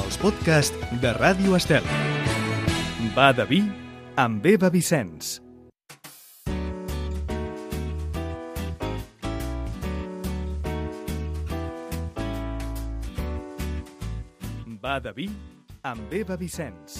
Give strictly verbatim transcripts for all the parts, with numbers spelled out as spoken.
els podcasts de Ràdio Estel. Va de vi amb Eva Vicenç. Va de vi amb Eva Vicenç.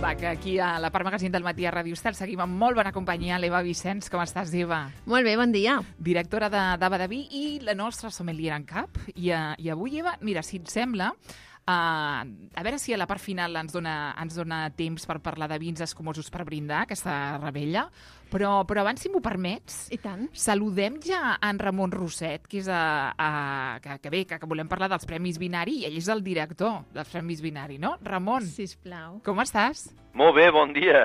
Va, que aquí a la part magazín del matí a Ràdio Estel seguim amb molt bona companyia, l'Eva Vicenç. Com estàs, Eva? Molt bé, bon dia. Directora de, de Va de vi i la nostra sommelier en cap. I, uh, i avui, Eva, mira, si et sembla, uh, a veure si a la part final ens dona, ens dona temps per parlar de vins escumosos per brindar, aquesta rebella. Però, però abans, si m'ho permets, I tant. saludem ja en Ramon Roset, que és a, a, que, que bé, que, que volem parlar dels Premis Binari, i ell és el director dels Premis Binari, no? Ramon, Sisplau. com estàs? Molt bé, bon dia.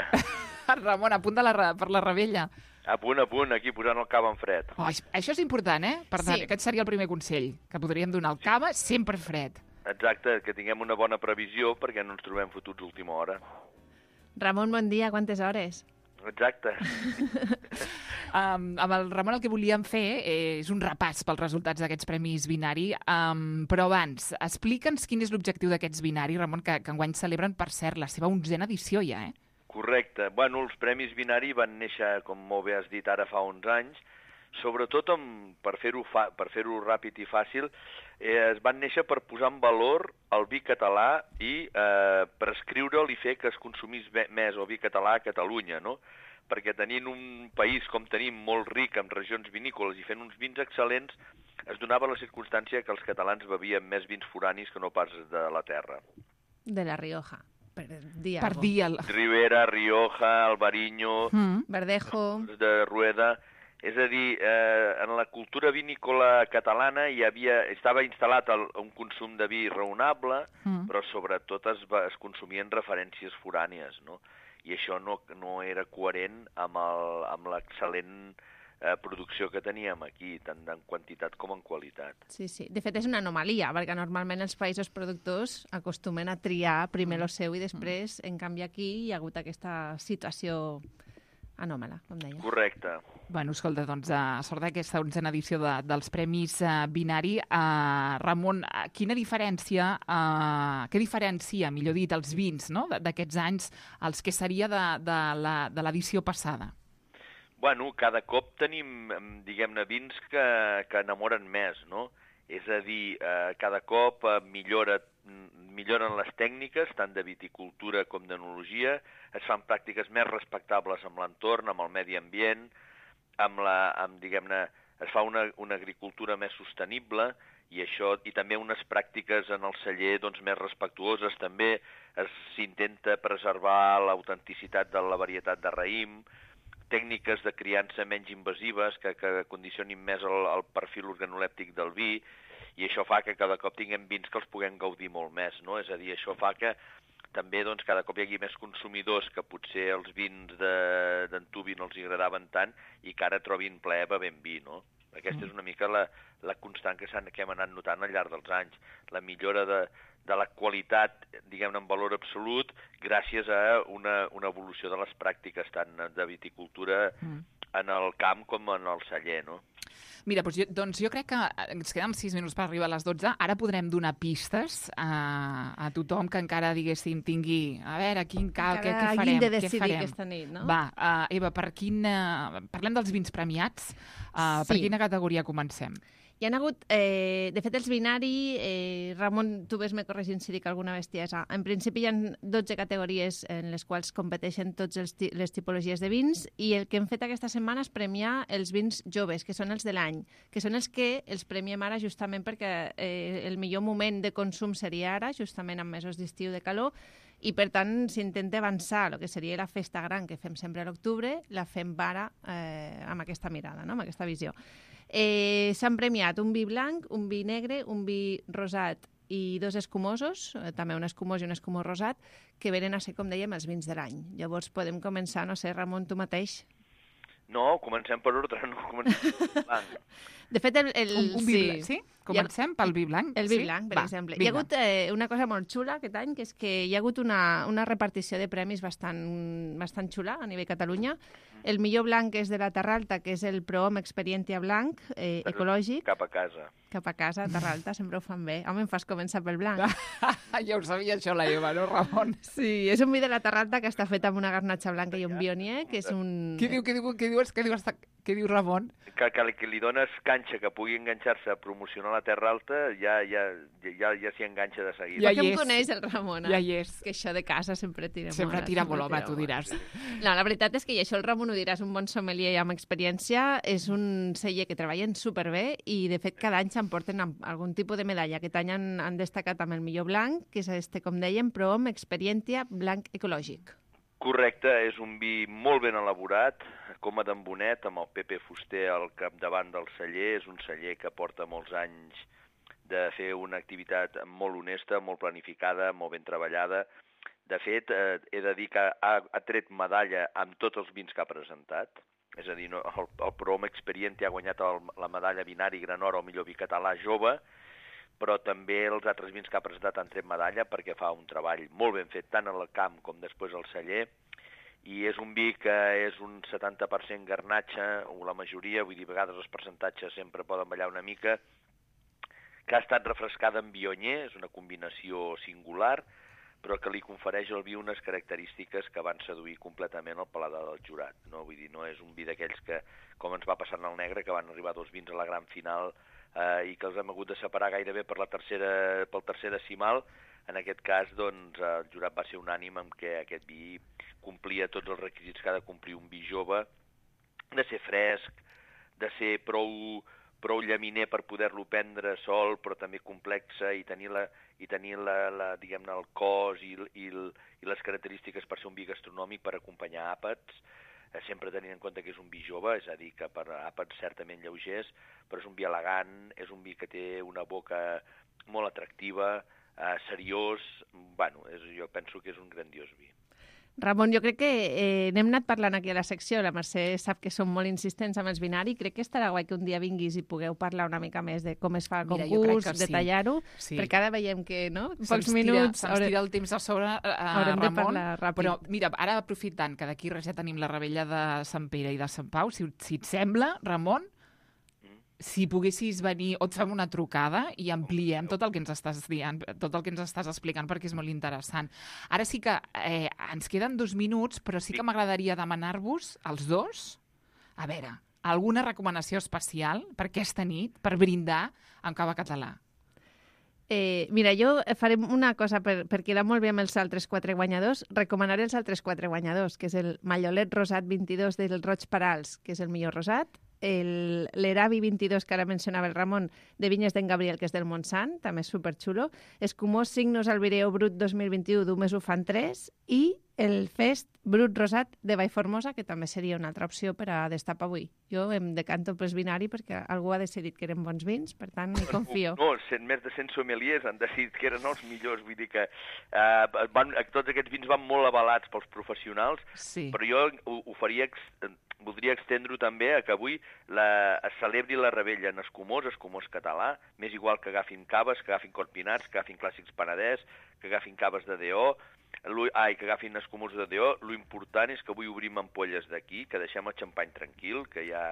Ramon, a punt de la, re- per la rebella. A punt, a punt, aquí posant el cava en fred. Oh, això és important, eh? Per tant, Sí. aquest seria el primer consell que podríem donar. El cava sempre fred. Exacte, que tinguem una bona previsió perquè no ens trobem fotuts d'última hora. Ramon, bon dia. Quantes hores? Exacte. Um, amb el Ramon el que volíem fer eh, és un repàs pels resultats d'aquests Premis Binari, um, però abans, explica'ns quin és l'objectiu d'aquests Binari, Ramon, que, que enguany celebren, per cert, la seva onzena edició ja, eh? Correcte. Bueno, els Premis Binari van néixer, com molt bé has dit, ara fa onze anys, sobretot amb, per fer-ho fa, per fer-ho ràpid i fàcil, eh, es van néixer per posar en valor el vi català i eh, prescriure'l i fer que es consumís be- més el vi català a Catalunya, no? Perquè tenint un país com tenim molt ric amb regions vinícoles i fent uns vins excel·lents, es donava la circumstància que els catalans bevien més vins foranis que no pas de la terra. De la Rioja. Per dir Per algo. dir el... Ribera, Rioja, Albariño, Mm. Verdejo. de Rueda. És a dir, eh, en la cultura vinícola catalana hi havia, estava instal·lat el, un consum de vi raonable, Mm. però sobretot es, va, es consumien referències forànies, no? I això no, no era coherent amb el- amb l'excel·lent eh, producció que teníem aquí, tant en quantitat com en qualitat. Sí, sí. De fet, és una anomalia, perquè normalment els països productors acostumen a triar primer lo seu i després, en canvi, aquí hi ha hagut aquesta situació anòmala, com deia. Correcte. Bueno, escolta, doncs, a sort d'aquesta onzena edició de, dels Premis uh, Binari, uh, Ramon, uh, quina diferència, uh, què diferencia, millor dit, els vins, no?, d- d'aquests anys, els que seria de, de la- de l'edició passada? Bueno, cada cop tenim, em, diguem-ne, vins que, que enamoren més, no? És a dir, eh, cada cop eh, millora, milloren les tècniques, tant de viticultura com d'enologia, es fan pràctiques més respectables amb l'entorn, amb el medi ambient, amb la, amb, diguem-ne, es fa una, una agricultura més sostenible i això i també unes pràctiques en el celler doncs, més respectuoses. També es- s'intenta preservar l'autenticitat de la varietat de raïm, tècniques de criança menys invasives que, que condicionin més el, el perfil organolèptic del vi, i això fa que cada cop tinguem vins que els puguem gaudir molt més, no? És a dir, això fa que també doncs, cada cop hi hagi més consumidors que potser els vins de- d'antuvi no els hi agradaven tant i que ara trobin plaer bevent vi, no? Aquesta és una mica la, la constant que, s'han, que hem anat notant al llarg dels anys, la millora de, de la qualitat, diguem-ne, en valor absolut, gràcies a una, una evolució de les pràctiques tant de viticultura Mm. en el camp com en el celler, no? Mira, doncs jo, doncs jo crec que ens queden sis minuts per arribar a les dotze. Ara podrem donar pistes a, a tothom que encara, diguéssim, tingui... A veure, quin cal, què, què farem? de què decidir farem? aquesta nit, no? Va, uh, Eva, per quin, uh, parlem dels vins premiats. Uh, Per Sí. quina categoria comencem? Hi ha hagut, eh, de fet, els binari, eh, Ramon, tu ves-me corregint si dic alguna bestiesa. En principi hi ha dotze categories en les quals competeixen totes les tipologies de vins i el que hem fet aquesta setmana és premiar els vins joves, que són els de l'any, que són els que els premiem ara justament perquè eh, el millor moment de consum seria ara, justament en mesos d'estiu de calor, i per tant s'intenta avançar el que seria la festa gran que fem sempre a l'octubre, la fem ara eh, amb aquesta mirada, no? Amb aquesta visió. Eh, S'han premiat un vi blanc, un vi negre, un vi rosat i dos escumosos, eh, també un escumós i un escumós rosat, que venen a ser, com dèiem, els vins de l'any. Llavors podem començar, no sé, Ramon, tu mateix. No, comencem per ordre, no comencem per blanc. De fet, el... el Un, un vi sí. blanc, sí? Comencem pel vi blanc? El vi sí? blanc, per Va, exemple. vinga. Hi ha hagut eh, una cosa molt xula aquest any, que és que hi ha hagut una, una repartició de premis bastant, bastant xula a nivell Catalunya. El millor blanc és de la Terra Alta, que és el Prohom Experientia blanc, eh, ecològic. Cap a casa. Cap a casa, Terra Alta, sempre ho fan bé. Home, em fas començar pel blanc. Ja ho sabia això, la Eva, no, Ramon? Sí, és un vi de la Terra Alta que està fet amb una garnatxa blanca i un bionier, que és un... Què diu, què diu, què diu, què diu, què diu Ramon? Que, que, que li dones canxa, que pugui enganxar-se a promocionar la Terra Alta, ja, ja, ja, ja s'hi enganxa de seguida. Ja hi és. Em coneix el Ramon, eh? Ja hi és. Que això de casa sempre tira sempre molt. Tira molt, home, tu diràs. No, la veritat és que, i això el Ramon ho diràs, un bon sommelier amb experiència, és un celler que treballen superbé i, de fet, cada any s'emporten algun tipus de medalla. Aquest any han, han destacat amb el millor blanc, que és este, com dèiem, Prohom Experientia blanc ecològic. Correcte, és un vi molt ben elaborat, Coma d'en Bonet, amb el Pepe Fuster al capdavant del celler. És un celler que porta molts anys de fer una activitat molt honesta, molt planificada, molt ben treballada. De fet, eh, he de dir que ha, ha tret medalla amb tots els vins que ha presentat. És a dir, no, el, el Prohom Experientia ha guanyat el, la medalla Vinari Gran Or al millor vi català jove, però també els altres vins que ha presentat han tret medalla perquè fa un treball molt ben fet, tant al camp com després al celler, i és un vi que és un setanta per cent garnatxa, o la majoria, vull dir, a vegades els percentatges sempre poden ballar una mica, que ha estat refrescada en bionier, és una combinació singular, però que li confereix al vi unes característiques que van seduir completament el paladar del jurat. No? Vull dir, no és un vi d'aquells que, com ens va passar en el negre, que van arribar dos vins a la gran final eh, i que els hem hagut de separar gairebé per la tercera, pel tercer decimal. En aquest cas, doncs, el jurat va ser unànime en què aquest vi complia tots els requisits que ha de complir un vi jove, de ser fresc, de ser prou, prou llaminer per poder-lo prendre sol, però també complexa, i tenir, la, i tenir la, la, diguem-ne, el cos i, i, i les característiques per ser un vi gastronòmic, per acompanyar àpats, eh, sempre tenint en compte que és un vi jove, és a dir, que per àpats certament lleugers, però és un vi elegant, és un vi que té una boca molt atractiva, eh, seriós, bueno, és, jo penso que és un grandiós vi. Ramon, jo crec que eh, n'hem anat parlant aquí a la secció, la Mercè sap que som molt insistents amb els binari, crec que estarà guai que un dia vinguis i pugueu parlar una mica més de com es fa el Mira, concurs, sí. detallar-ho, sí. perquè ara veiem que, no? Pocs minuts... Se'ns tira el temps a sobre, uh, haurem Ramon, de parlar ràpid. Però mira, ara aprofitant que d'aquí res ja tenim la rebella de Sant Pere i de Sant Pau, si, si et sembla, Ramon, si poguessis venir o et fem una trucada i ampliem tot el que ens estàs dient, tot el que ens estàs explicant, perquè és molt interessant. Ara sí que eh, ens queden dos minuts, però sí que m'agradaria demanar-vos, als dos, a veure, alguna recomanació especial per aquesta nit, per brindar amb cava català. Eh, mira, jo farem una cosa per, per quedar molt bé amb els altres quatre guanyadors. Recomanaré els altres quatre guanyadors, que és el Mallolet Rosat vint-i-dos del Roig Parals, que és el millor rosat, l'Eravi vint-i-dos, que ara mencionava el Ramon, de Vinyes d'en Gabriel, que és del Montsant, també és superxulo, Escumós Signos Albireo Brut dos mil vint-i-u, d'Umes ho fan tres, i el Fest Brut Rosat de Vallformosa, que també seria una altra opció per a destapar avui. Jo em decanto pels binari perquè algú ha decidit que eren bons vins, per tant, hi confio. No, cent, més de cent sommeliers han decidit que eren els millors, vull dir que eh, van, tots aquests vins van molt avalats pels professionals, sí. Però jo ho, ho faria, voldria extendre-ho també a que avui la, es celebri la rebella en Escumós, Escumós català, m'és igual que agafin caves, que agafin corpinats, que agafin clàssics Penedès, que agafin caves de D O, ai, que agafin Escumós de D O. Lo important és que avui obrim ampolles d'aquí, que deixem el xampany tranquil, que ja,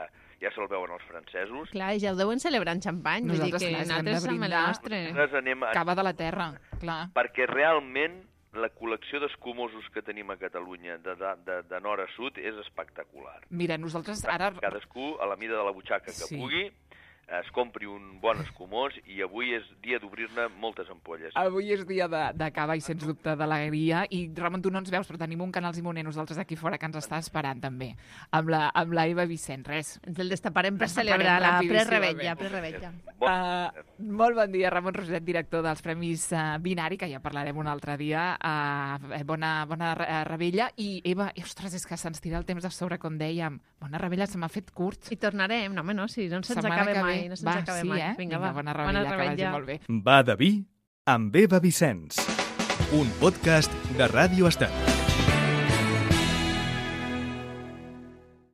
ja se'l veuen els francesos. Clar, ja ho deuen celebrar en xampany, vull dir que nosaltres som el nostre. Anem a... Cava de la terra, clar. Perquè realment la col·lecció d'escumosos que tenim a Catalunya de, de, de, de nord a sud és espectacular. Mira, nosaltres ara... Cadascú a la mida de la butxaca que sí. pugui es compri un bon escumós i avui és dia d'obrir-ne moltes ampolles. Avui és dia de, de cava i, sens dubte, d'alegria. I, Ramon, tu no ens veus, però tenim un Canals i Moner nosaltres aquí fora que ens està esperant, també, amb la, amb la Eva Vicent. Res. Ens el destaparem per celebrar la pre-rebetlla. Pre uh, molt bon dia, Ramon Roset, director dels Premis uh, Binari, que ja parlarem un altre dia. Uh, bona bona rebella. I, Eva, ostres, és que se'ns tira el temps de sobre, com dèiem. Bona rebella, se m'ha fet curt. I tornarem, no, home, no, si no se'ns acaba mai. No se'ns va, acaba sí, mai. eh? Vinga, Vinga, va. bona rebella, bona rebella, que vagi molt bé. Va de vi amb Eva Vicenç, un podcast de Ràdio Estel.